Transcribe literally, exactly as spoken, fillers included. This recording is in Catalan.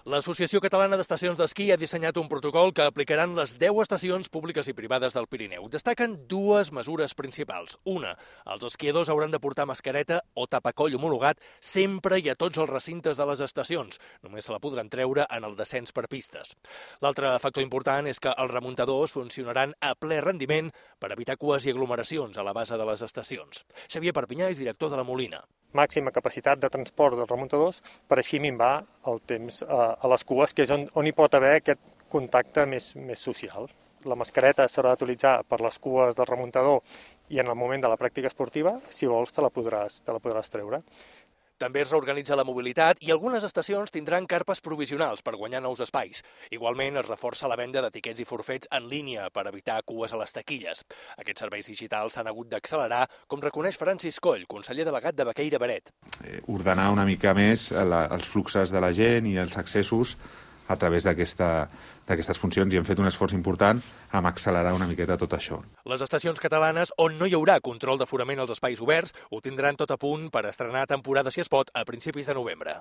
L'Associació Catalana d'Estacions d'Esquí ha dissenyat un protocol que aplicaran les deu estacions públiques i privades del Pirineu. Destaquen dues mesures principals. Una, els esquiadors hauran de portar mascareta o tapacoll homologat sempre i a tots els recintes de les estacions. Només se la podran treure en el descens per pistes. L'altre factor important és que els remuntadors funcionaran a ple rendiment per evitar cues i aglomeracions a la base de les estacions. Xavier Perpinyà és director de la Molina. Màxima capacitat de transport dels remuntadors per així minvar el temps a les cues, que és on, on hi pot haver aquest contacte més, més social. La mascareta s'haurà d'utilitzar per les cues del remuntador i en el moment de la pràctica esportiva, si vols, te la podràs, te la podràs treure. També es reorganitza la mobilitat i algunes estacions tindran carpes provisionals per guanyar nous espais. Igualment, es reforça la venda de tiquets i forfets en línia per evitar cues a les taquilles. Aquests serveis digitals s'han hagut d'accelerar, com reconeix Francis Coll, conseller delegat de Baqueira Beret. Eh, ordenar una mica més la, els fluxos de la gent i els accessos a través d'aquesta, d'aquestes funcions i hem fet un esforç important amb accelerar una miqueta tot això. Les estacions catalanes on no hi haurà control d'aforament als espais oberts ho tindran tot a punt per estrenar temporada, si es pot, a principis de novembre.